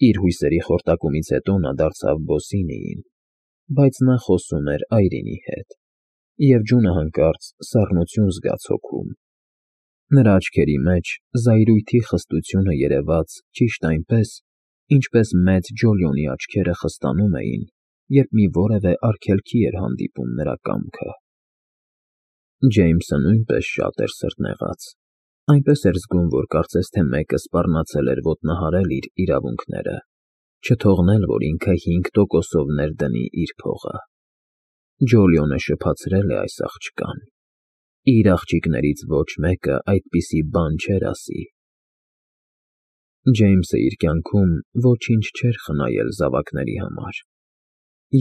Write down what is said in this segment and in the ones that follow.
Իր հույսերի խորտակումից հետո նա դարձավ Բոսինիին, բայց նա խոսում էր Այրինի հետ, և ջունը հանկարծ սառնություն զգաց հոգում. նրա աչքերի մեջ զայրույթի խստությունը երևաց ճիշտ այնպես, ինչպես մեծ Ջոլիոնի աչքերը խստանում էին, երբ մի որևէ արգելքի էր հանդիպում նրա կամքը։ Ջեյմսը նույնպես շատ էր սրտնեղած, այնպես էր զգում, որ կարծես թե մեկը սպառնացել էր ոտնահարել իր իրավունքները, չթողնել, որ ինքը 5%-ով ներդնի իր փողը։ Ջոլիոնը շփացրել է այս աղջկան։ Իր աղջիկներից ոչ մեկը այդպիսի բան չէր ասի։ Ջեյմսը իր կյանքում ոչինչ չէր խնայել զավակների համար,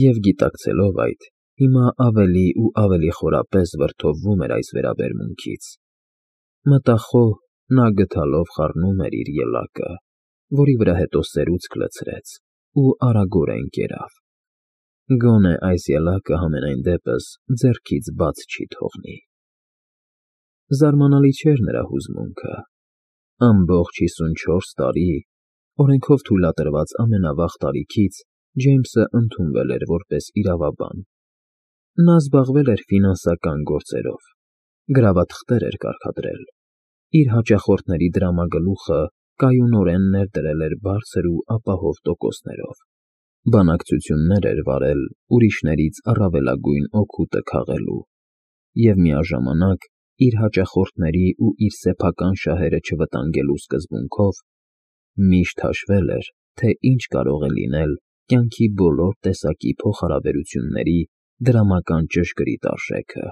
և գիտակցելով այդ, հիմա ավելի ու ավելի խորապես վրդովվում էր այս վերաբերմունքից։ Մտախոհ նա գդալով խառնում էր իր ելակը, որի վրա հետո սերուցք լցրեց ու արագորեն կերավ։ Գոնե այս ելակը համենայն դեպս ձեռքից բաց չի թողնի։ Զարմանալի չէր նրա հուզմունքը։ Ամբողջ 54 տարի, օրենքով թույլատրված ամենավաղ տարիքից, Ջեյմսը ընդունվել էր որպես իրավաբան։ Նա զբաղվել էր ֆինանսական գործերով, գրավաթղթեր էր կարգադրել, իր հաճախորդների դրամագլուխը կայունորեն ներդրել էր բարձր ու ապահով տոկոսներով, բանակցություններ էր վարել ուրիշներից առավելագույն օգուտը քաղելու և միաժամանակ իր հաճախորդների ու իր սեփական շահերը չվտանգելու սկզբունքով միշտ հաշվել էր, թե ինչ կարող է լինել կյանքի բոլոր տեսակի փոխհարաբերությունների դրամական ճշգրիտ արժեքը։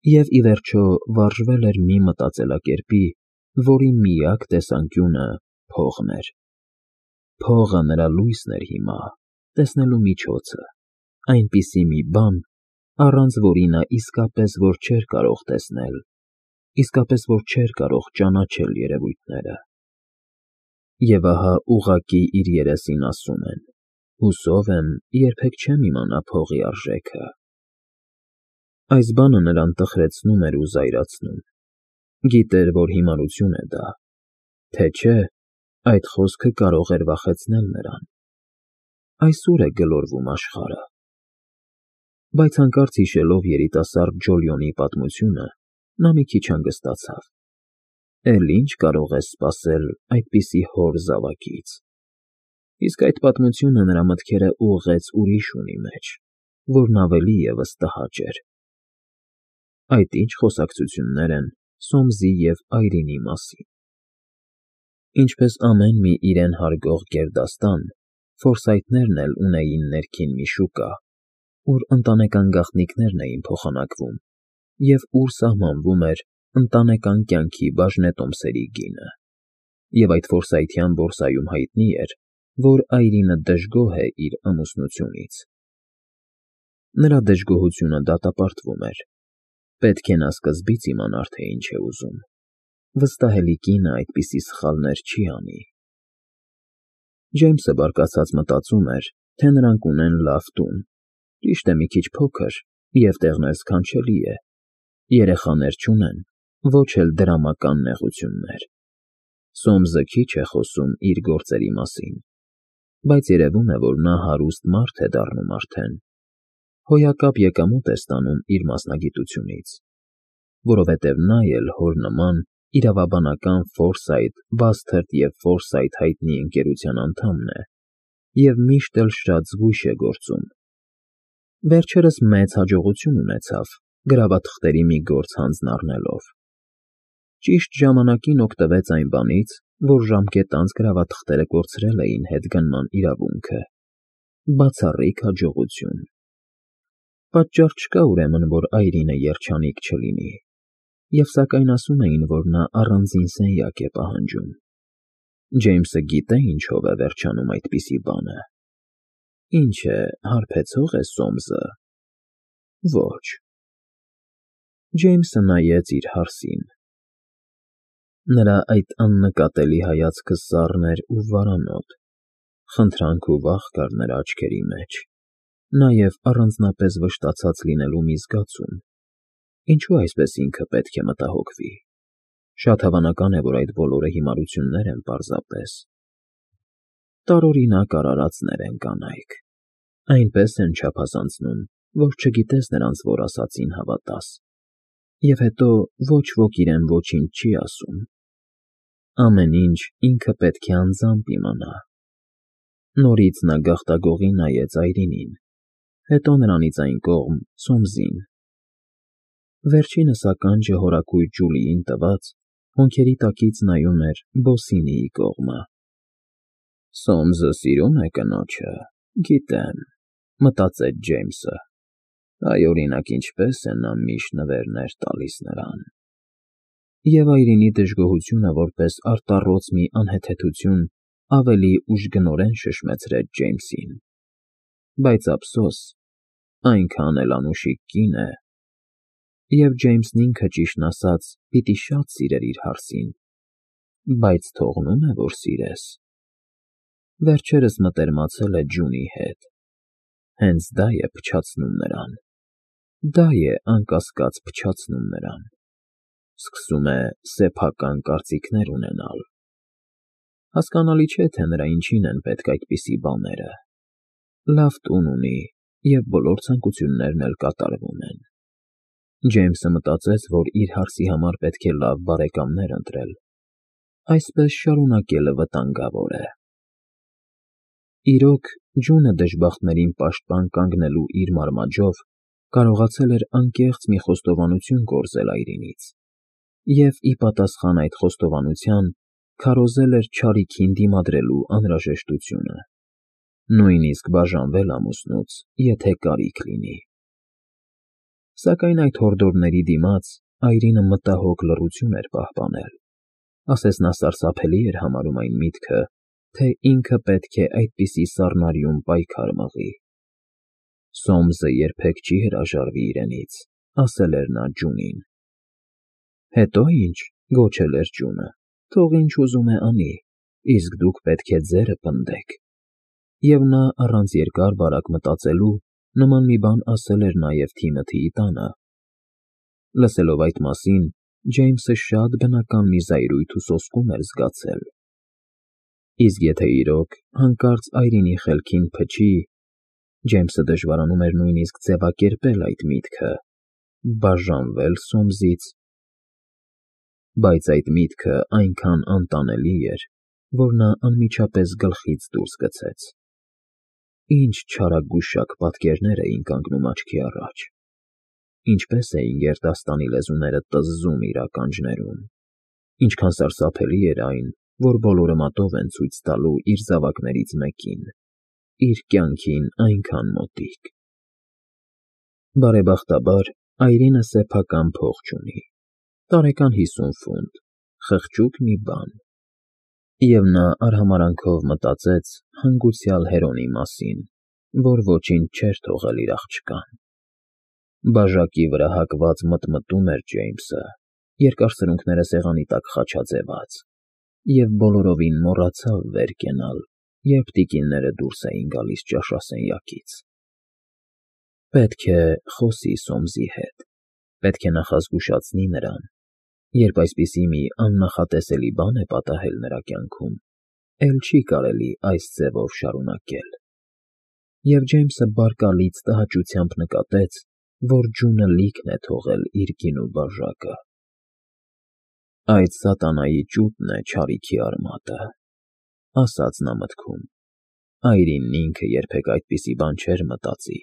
Եվ ի վերջո վարժվել էր մի մտածելակերպի, որի միակ տեսանկյունը փողն էր։ Փողը նրա լույսն էր հիմա, տեսնելու միջոցը, այնպիսի մի բան, առանց որի նա իսկապես որ չէր կարող տեսնել, իսկապես որ չէր կարող ճանաչել երևույթները։ Եվ ահա ուղղակի իր երեսին ասում են. հուսով եմ, երբեք չեմ իմանա փողի արժեքը։ Այս բանը նրան տխրեցնում էր ու զայրացնում։ Գիտեր, որ հիմարություն է դա, թե չէ, այդ խոսքը կարող էր վախեցնել նրան։ Այս ուր է գլորվում աշխարհը։ Բայց հանկարծ հիշելով երիտասարդ Ջոլիոնի պատմությունը, նա մի քիչ հանգստացավ։ Էլ ինչ կարող ես սպասել այդպիսի հոր զավակից։ Իսկ այդ պատմությունը նրա մտքերը ուղղեց ուրիշ ունի մեջ, որն ավելի ևս տհաճ էր։ Այդ ինչ խոսակցություններ են Սոմսի և Այրինի մասին։ Ինչպես ամեն մի իրեն հարգող գերդաստան, Ֆորսայթներն էլ ունեին ներքին մի շուկա, ուր ընտանեկան գաղտնիքներն էին փոխանակվում և ուր սահմանվում էր ընտանեկան կյանքի բաժնետոմսերի գինը։ Եվ այդ ֆորսայթյան բորսայում հայտնի էր, որ Այրինը դժգոհ է իր ամուսնությունից։ Նրա դժգոհությունը դատապարտվում էր։ Պետք է նա սկզբից իմանար, թե ինչ է ուզում։ Վստահելի կինը այդպիսի սխալներ չի անի։ Ջեյմսը բարկացած մտածում էր, թե նրանք ունեն լավ տուն, ճիշտ է մի քիչ փոքր և տեղն էլ սքանչելի է, երեխաներ չունեն, ոչ էլ դրամական նեղություններ։ Սոմսը քիչ է խոսում իր գործերի մասին, բայց երևում է, որ նա հարուստ մարդ է դառնում արդեն, հոյակապ եկամուտ է ստանում իր մասնագիտությունից, որովհետև նա էլ հոր նման իրավաբանական Ֆորսայթ, Բասթերդ և Ֆորսայթ հայտնի ընկերության անդամն է և միշտ էլ շատ զգույշ է գործում։ Վերջերս մեծ հաջողություն ունեցավ գրավաթղթերի մի գործ հանձն առնելով։ Ճիշտ ժամանակին օգտվեց այն բանից, որ ժամկետ անց գրավաթղթերը կորցրել էին հետգնման իրավունքը։ Բացառիկ հաջողություն։ Պատճառ չկա ուրեմն, որ Այրինը երջանիկ չլինի, և սակայն ասում էին, որ նա առանձին սենյակ է պահանջում։ Ջեյմսը գիտե ինչով է վերջանում այդպիսի բանը։ Ինչ է, հարբեցող է Սոմսը։ Ոչ։ Ջեյմսը նայեց իր հարսին։ Նրա այդ աննկատելի հայացքը սառն էր ու վարանոտ, խնդրանք ու վախ կար նրա աչքերի մեջ, նաև առանձնապես վշտացած լինելու մի զգացում։ Ինչու այսպես ինքը պետք է մտահոգվի։ Շատ հավանական է, որ այդ բոլորը հիմարություններ են պարզապես։ տարօրինակ արարածներ են կանայք, այնպես են չափազանցնում, որ չգիտես նրանց որ ասածին հավատաս, և հետո ոչ ոք իրեն ոչինչ չի ասում, ամեն ինչ ինքը պետք է անձամբ իմանա։ Նորից նա գաղտագողի նայեց Այրինին, հետո նրանից այն կողմ Սոմսին։ Վերջինս ականջը հորաքույր Ջուլիին տված, հոնքերի տակից նայում էր Բոսինիի կողմը։ «Սոմսը սիրում է կնոջը, գիտեմ», մտածեց Ջեյմսը, այ օրինակ ինչպես է նա միշտ նվերներ տալիս նրան։ Եվ Այրինի դժգոհությունը որպես արտառոց մի անհեթեթություն ավելի ուժգնորեն շշմեցրեց Ջեյմսին։ Բայց ափսոս, այնքան էլ անուշիկ կին է, և Ջեյմսն ինքը ճիշտն ասած պիտի շատ սիրեր իր հարսին, բայց թողնո՞ւմ է, որ սիրես։ Վերջերս մտերմացել է Ջունի հետ, հենց դա է փչացնում նրան, դա է անկասկած փչացնում նրան, սկսում է սեփական կարծիքներ ունենալ։ Հասկանալի չէ, թե նրա ինչին են պետք այդպիսի բաները։ Լավ տուն ունի, և բոլոր ցանկություններն էլ կատարվում են։ Ջեյմսը մտածեց, որ իր հարսի համար պետք է լավ բարեկամներ ընտրել, այսպես շարունակելը վտանգավոր է։ Իրոք, Ջունը դժբախտներին պաշտպան կանգնելու իր մարմաջով կարողացել էր անկեղծ մի խոստովանություն գործել Այրինից, և ի պատասխան այդ խոստովանության քարոզել էր չարիքին դիմադրելու անհրաժեշտությունը, նույնիսկ բաժանվել ամուսնուց, եթե կարիք լինի։ Սակայն այդ հորդորների դիմաց Այրինը մտահոգ լռություն էր պահպանել, ասես նա սարսափելի էր համարում այն միտքը, թե ինքը պետք է այդպիսի սառնարյուն պայքար մղի։ Սոմսը երբեք չի հրաժարվի իրենից, ասել էր նա Ջունին։ Հետո ինչ, գոչել էր Ջունը, թող ինչ ուզում է անի, իսկ դուք պետք է ձերը պնդեք։ Եվ նա առանց երկար֊բարակ մտածելու նման մի բան ասել էր նաև Թիմոթիի տանը։ Լսելով այդ մասին, Ջեյմսը շատ բնական մի զայրույթ ու սոսկում էր զգացել։ Իսկ եթե իրոք հանկարծ Այրինի խելքին փչի, Ջեյմսը դժվարանում էր նույնիսկ ձևակերպել այդ միտքը, բաժանվել Սոմսից, բայց այդ միտքը այնքան անտանելի էր, որ նա անմիջապես գլխից դուրս գցեց։ Ինչ չարագուշակ պատկերներ էին կանգնում աչքի առաջ, ինչպես էին գերդաստանի լեզուները տզզում իր ականջներում, ինչքան սարսափելի էր այն, որ բոլորը մատով են ցույց տալու իր զավակներից մեկին, իր կյանքին այնքան մոտիկ։ Բարեբախտաբար, Այրինը սեփական փող չունի, տարեկան 50 ֆունտ, խղճուկ մի բան։ Եվ նա արհամարհանքով մտածեց հանգուցյալ Հերոնի մասին, որ ոչինչ չէր թողել իր աղջկան։ Բաժակի վրա հակված մտմտում էր Ջեյմսը, երկար սրունքները սեղանի տակ խաչաձևած, և բոլորովին մոռացավ վեր կենալ, երբ տիկինները դուրս էին գալիս ճաշասենյակից։ Պետք է խոսի Սոմսի հետ, պետք է նախազգուշացնի նրան, երբ այսպիսի մի աննախատեսելի բան է պատահել նրա կյանքում, էլ չի կարելի այս ձևով շարունակել։ Եվ Ջեյմսը բարկալից տհաճությամբ նկատեց, որ Ջունը լիքն է թողել իր գինու բաժակը։ Այդ սատանայի ճուտն է չարիքի արմատը, ասաց նա մտքում։ Այրինն ինքը երբեք այդպիսի բան չէր մտածի։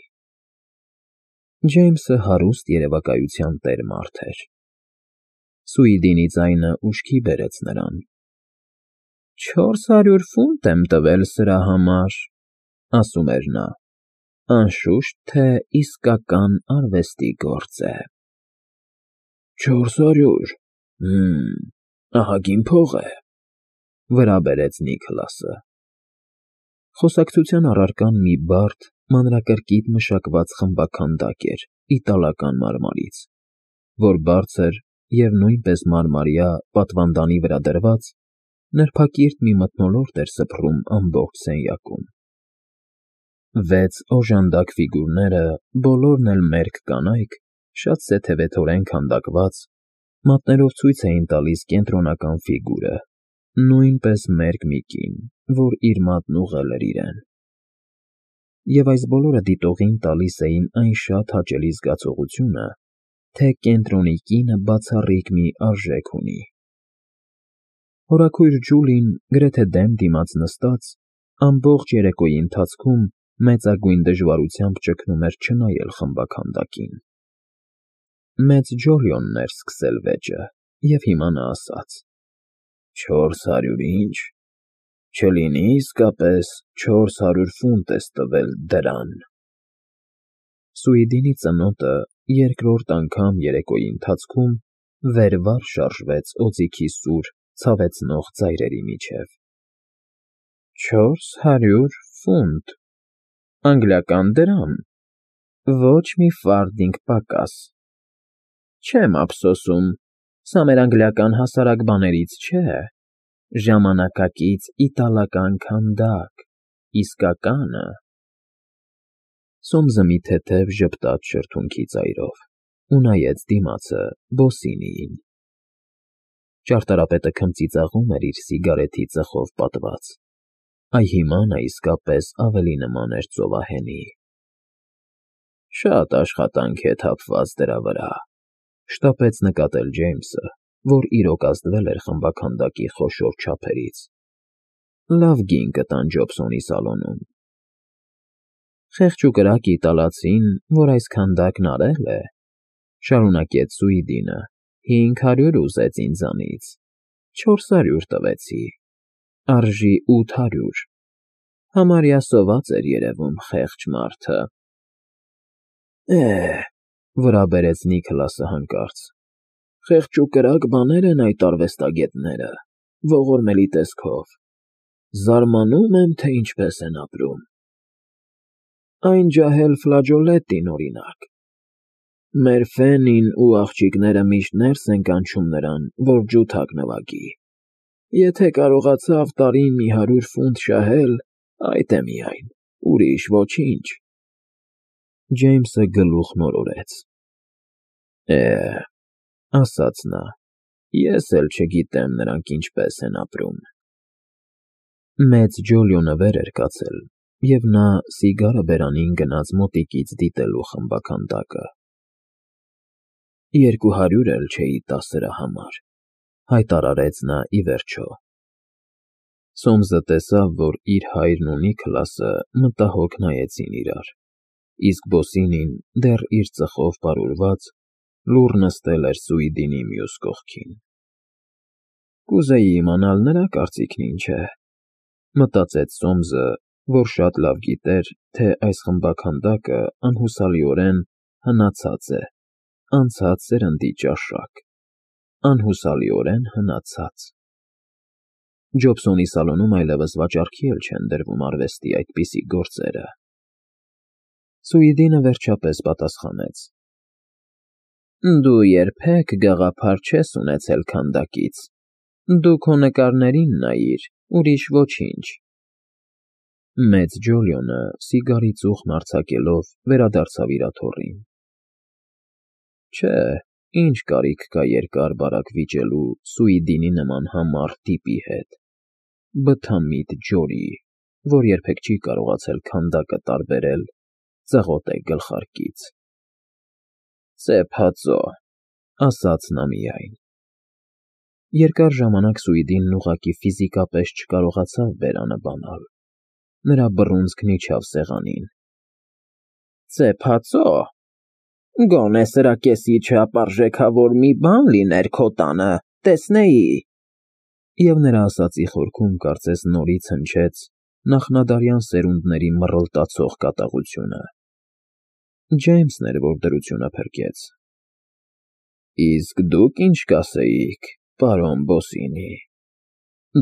Ջեյմսը հարուստ երևակայության տեր մարդ էր։ Սուիդինի ձայնը ուշքի բերեց նրան։ 400 ֆունտ եմ տվել սրա համար, ասում էր նա, անշուշտ թե իսկական արվեստի գործ է։ 400, ահագին փող է, վրա բերեց Նիքլասը։ Խոսակցության առարկան մի բարդ, մանրակրկիտ մշակված խմբաքանդակ էր իտալական մարմարից, որ բարձր և նույնպես մարմարյա պատվանդանի վրա դրված, նրբակիրթ մի մթնոլորտ էր սփռում ամբողջ սենյակում։ 6 օժանդակ ֆիգուրները, բոլորն էլ մերկ կանայք, շատ սեթևեթորեն քանդակված, մատներով ցույց էին տալիս կենտրոնական ֆիգուրը, նույնպես մերկ մի կին, որ իր մատն ուղղել էր իրեն։ Եվ այս բոլորը դիտողին տալիս էին այն շատ հաճելի զգացողությունը, թե կենտրոնի կինը բացառիկ մի արժեք ունի։ Հորաքույր Ջուլին, գրեթե դեմ դիմաց նստած, ամբողջ երեկոյի ընթացքում մեծագույն դժվարությամբ ճգնում էր չնայել խմբաքանդակին։ Մեծ Ջոլիոնն էր սկսել վեճը, և հիմա նա ասաց. 400 ինչ, չլինի իսկապես 400 ֆունտ ես տվել դրան։ Սուիդինի ծնոտը երկրորդ անգամ երեկոյի ընթացքում վեր-վար շարժվեց օձիքի սուր, ցավեցնող ծայրերի միջև։ 400 ֆունտ, անգլիական դրամ, ոչ մի ֆարտինգ պակաս։ Չեմ ափսոսում, սա մեր անգլիական հասարակ բաներից չէ, ժամանակակից իտալական քանդակ, իսկականը։ Սոմսը մի թեթև ժպտաց շրթունքի ծայրով ու նայեց դիմացը Բոսինիին։ Ճարտարապետը քմծիծաղում էր իր սիգարետի ծխով պատված։ Այ հիմա նա իսկապես ավելի նման էր ծովահենի։ Շատ աշխատանք է թափված դրա վրա, շտապեց նկատել Ջեյմսը, որ իրոք ազդվել էր խմբաքանդակի խոշոր չափերից։ Լավ գին կտան Ջոբսոնի սալոնում։ Խեղճ ու կրակ իտալացին, որ այս քանդակն արել է, շարունակեց Սուիդինը, 500 ուզեց ինձանից, 400 տվեցի, արժի 800, համարյա սոված էր երևում խեղճ մարդը։ Վրա բերեց Նիքլասը հանկարծ, խեղճ ու կրակ բաներ են այդ արվեստագետները, ողորմելի տեսքով, զարմանում եմ, թե ինչպես են ապրում։ Այն ջահել ֆլաջոլետին, օրինակ։ Մեր Ֆենին ու աղջիկները միշտ ներս են կանչում նրան, որ ջութակ նվագի։ Եթե կարողացավ տարին մի 100 ֆունտ շահել, այդ է միայն, ուրիշ ոչինչ։ Ջեյմսը գլուխ մորորեց։ Ասաց նա, ես էլ չգիտեմ նրանք ինչպես են ապրում։ Մեծ Ջոլիոնը վեր էր կացել, և նա սիգարը բերանին գնաց մոտիկից դիտելու խմբաքանդակը։ 200 էլ չէի տա սրա համար, հայտարարեց նա ի վերջո։ Սոմսը տեսավ, որ իր հայրն ու Նիքլասը մտահոգ նայեցին իրար, իսկ Բոսինին դեռ իր ծխով պարուրված լուռ նստել էր Սուիդինի մյուս կողքին։ Կուզեի իմանալ նրա կարծիքն ինչ է, մտածեց Սոմսը, որ շատ լավ գիտեր, թե այս խմբաքանդակը անհուսալիորեն հնացած է, անցած սերնդի ճաշակ, անհուսալիորեն հնացած։ Ջոբսոնի սալոնում այլևս վաճառքի էլ չեն դրվում արվեստի այդպիսի գործերը։ Սուիդինը վերջապես պատասխանեց. Դու երբեք գաղափար չես ունեցել քանդակից, դու քո նկարներին նայիր, ուրիշ ոչինչ։ Մեծ Ջոլիոնը սիգարի ծուխն արձակելով վերադարձավ իր աթոռին։ Չէ, ինչ կարիք կա երկար֊բարակ վիճելու Սուիդինի նման համառ տիպի հետ, բթամիտ ջորի, որ երբեք չի կարողացել քանդակը տարբերել ծղոտե գլխարկից։ Սեպհածո, ասաց նա միայն։ Երկար ժամանակ Սուիդինն ուղղակի ֆիզիկապես չկարողացավ բերանը բանալ։ Նրա բռունցքն իջավ սեղանին։ Սեպհածո, գոնե սրա կեսի չափարժեքավոր մի բան լիներ քո տանը, տեսնեի։ Եվ նրա ասածի խորքում կարծես նորից հնչեց նախնադարյան սերունդների մռլտացող կատաղությունը։ Ջեյմսն էր, որ դրությունը փրկեց։ Իսկ դուք ինչ կասեիք, պարոն Բոսինի։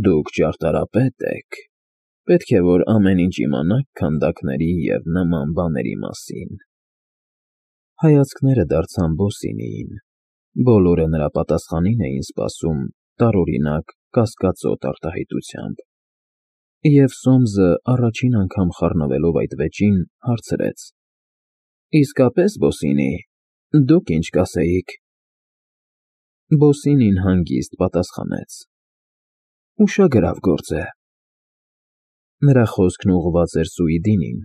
Դուք ճարտարապետ եք, պետք է որ ամեն ինչ իմանաք քանդակների և նման բաների մասին։ Հայացքները դարձան Բոսինիին, բոլորը նրա պատասխանին էին սպասում տարօրինակ կասկածոտ արտահայտությամբ։ Եվ Սոմսը առաջին անգամ խառնվելով այդ վեճին, հարցրեց. Իսկապես, Բոսինի, դուք ինչ կասեիք։ Բոսինին հանգիստ պատասխանեց. Ուշագրավ գործ է։ Նրա խոսքն ուղղված էր Սուիդինին,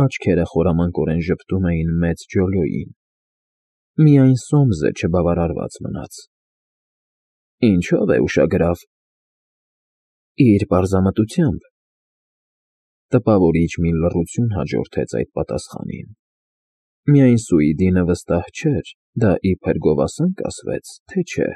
աչքերը խորամանկորեն ժպտում էին մեծ Ջոլիոյին։ Միայն Սոմսը չբավարարված մնաց։ ֊ Ինչո՞վ է ուշագրավ։ ֊ Իր պարզամտությամբ։ Տպավորիչ մի լռություն հաջորդեց այդ պատասխանին։ Միայն Սուիդինը վստահ չէր՝ դա իբր գովասան կասվեց, թե չէ։